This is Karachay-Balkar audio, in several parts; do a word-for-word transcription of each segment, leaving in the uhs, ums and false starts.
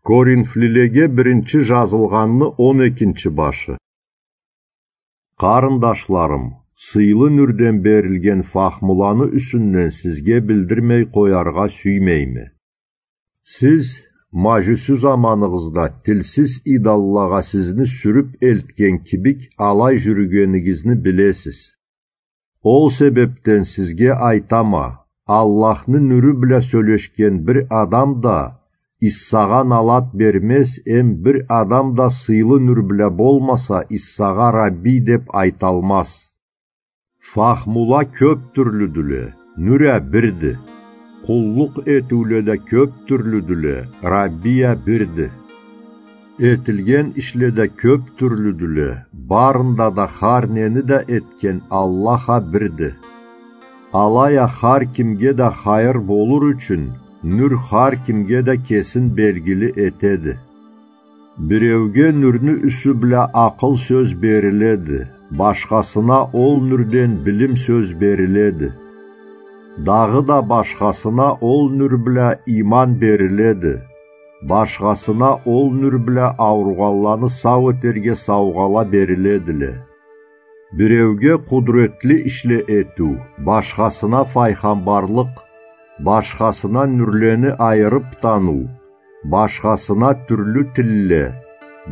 Коринфлилеге биринчи жазылгъанны он экинчи башы. Къарындашларым, сыйлы нюрден берилген фахмуланы юсюнден сизге билдирмей къояргъа сюймейме. Сиз, мажюсю заманыгъызда тилсиз идоллагъа сизни сюрюп элтген кибик, алай жюрюгенигизни билесиз. Ол себепден сизге айтама, Аллахны нюрю бла сёлешген бир адам да Иссагъа налат бермез, эм бир адам да сыйлы нюр бла болмаса, Иссагъа Рабби деп айталмаз. Фахмула кёп тюрлюдюле, нюр а бирди. Къуллукъ этиуле да кёп тюрлюдюле, Рабби а бирди. Этилген ишле да кёп тюрлюдюле, барында да хар нени да этген Аллах а бирди. Алай а хар кимге да хайыр болур ючюн, нюр хар кимге да кесин белгили этеди. Биреуге нюрню юсю бла акъыл сёз бериледи, башхасына ол нюрден билим сёз бериледи. Дагъыда башхасына ол нюр бла иман бериледи, башхасына ол нюр бла ауругъанланы сау этерге саугъала бериледиле. Биреуге къудуретли ишле этиу, башхасына файгъамбарлыкъ, башхасына нюрлени айырып таныу, башхасына тюрлю тилле,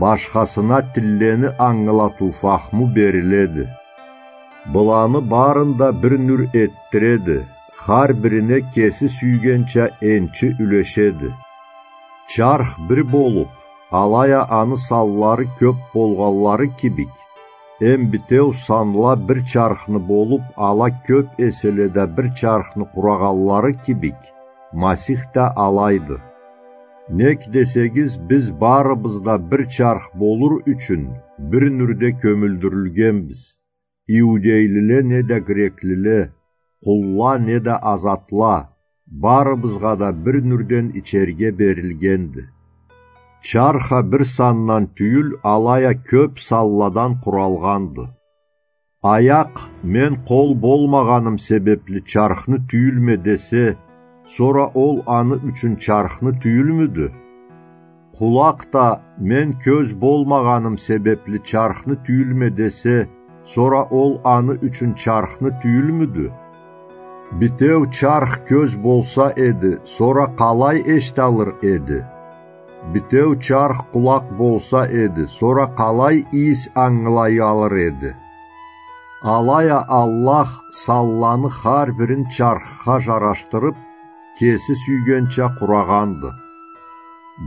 башхасына тиллени ангылатыу фахму бериледи. Быланы барын да бир нюр этдиреди, хар бирине кеси сюйгенча энчи юлешеди. Чарх бир болуп, алай а аны санлары кёп болгъанлары кибик, эм битеу санла бир чархны болуп, ала кёп эселе да бир чархны къурагъанлары кибик, Масих да алайды. Нек десегиз, биз барыбыз да бир чарх болур ючюн бир нюрде кёмюлдюрюлгенбиз. Иудейлиле не да греклиле, къулла не да азатла, барыбызгъа да бир нюрден ичерге берилгенди. Чарх а бир сандан тюйюл, алай а кёп санладан къуралгъанды. Аякъ, мен къол болмагъаным себепли чархны тюйюлме десе, сора ол аны ючюн чархны тюйюлмюдю? Къулакъ да, мен кёз болмагъаным себепли чархны тюйюлме десе, сора ол аны ючюн чархны тюйюлмюдю? Битеу чарх кёз болса эди, сора къалай эшиталыр эди? Битеу чарх къулакъ болса эди, сора къалай ийис ангылаялыр эди? Алай а Аллах санланы хар бирин чархха жарашдырып, кеси сюйгенча къурагъанды.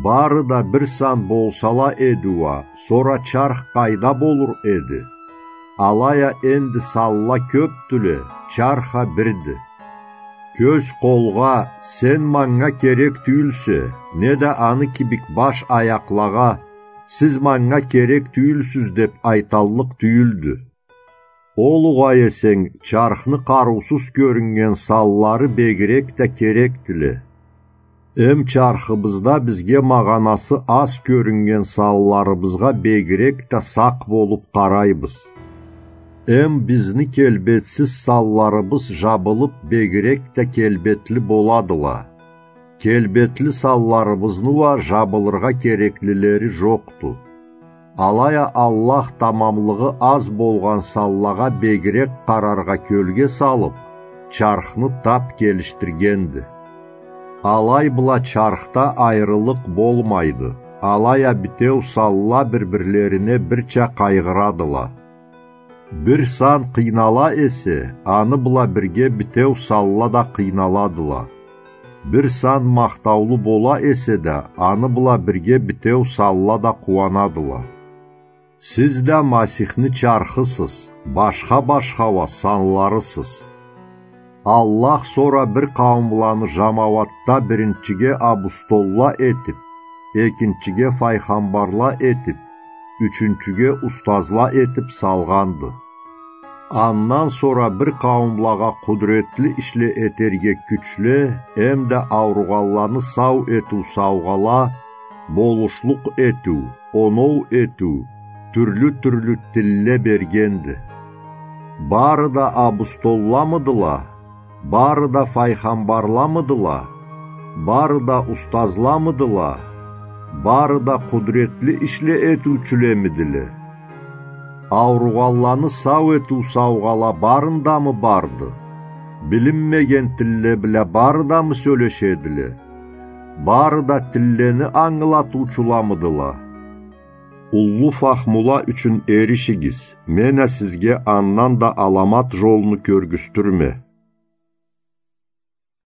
Бары да бир сан болсала эди уа, сора чарх къайда болур эди? Алай а энди санла кёпдюле, чарх а бирди. Кёз къолгъа, сен манга керек тюйюлсе, не да аны кибик баш аякълагъа, сиз манга керек тюйюлсюз деп айталлыкъ тюйюлдю. Ол угъай эсенг, чархны къарыусуз кёрюннген санлары бегирек да керекдиле. Эм чархыбызда бизге магъанасы аз кёрюннген санларыбызгъа бегирек да сакъ болуп къарайбыз. Эм бизни келбетсиз санларыбыз жабылып, бегирек да келбетли боладыла. Келбетли санларыбызны уа жабылыргъа кереклилери жокъду. Алай а Аллах тамамлыгъы аз болгъан санлагъа бегирек къараргъа кёлге салып, чархны тап келишдиргенди. Алай бла чархда айрылыкъ болмайды, алай а битеу санла бир-бирлерине бирча къайгъырадыла. Бир сан къыйнала эсе, аны бла бирге битеу санла да къыйналадыла. Бир сан махтаулу бола эсе да, аны бла бирге битеу санла да къууанадыла. Сиз да Масихни чархысыз, башха-башха уа санларысыз. Аллах сора бир къауумланы жамауатда биринчиге абустолла этип, экинчиге файгъамбарла этип, ючюнчюге устазла этип салгъанды. Андан сора бир къауумлагъа къудуретли ишле этерге кючле, эм да ауругъанланы сау этиу саугъала, болушлукъ этиу, оноу этиу, тюрлю-тюрлю тилле бергенди. Бары да абустолламыдыла? Бары да файгъамбарламыдыла? Бары да устазламыдыла? Бары да къудретли ишле этиучюлемидиле? Ауругъанланы сау этиу саугъала барындамы барды? Билинмеген тилле бла барыдамы сёлешедиле? Бары да тиллени ангылатыучуламыдыла? Уллу фахмула ючюн эришигиз, мен а сизге андан да аламат жолну кёргюзтюрме.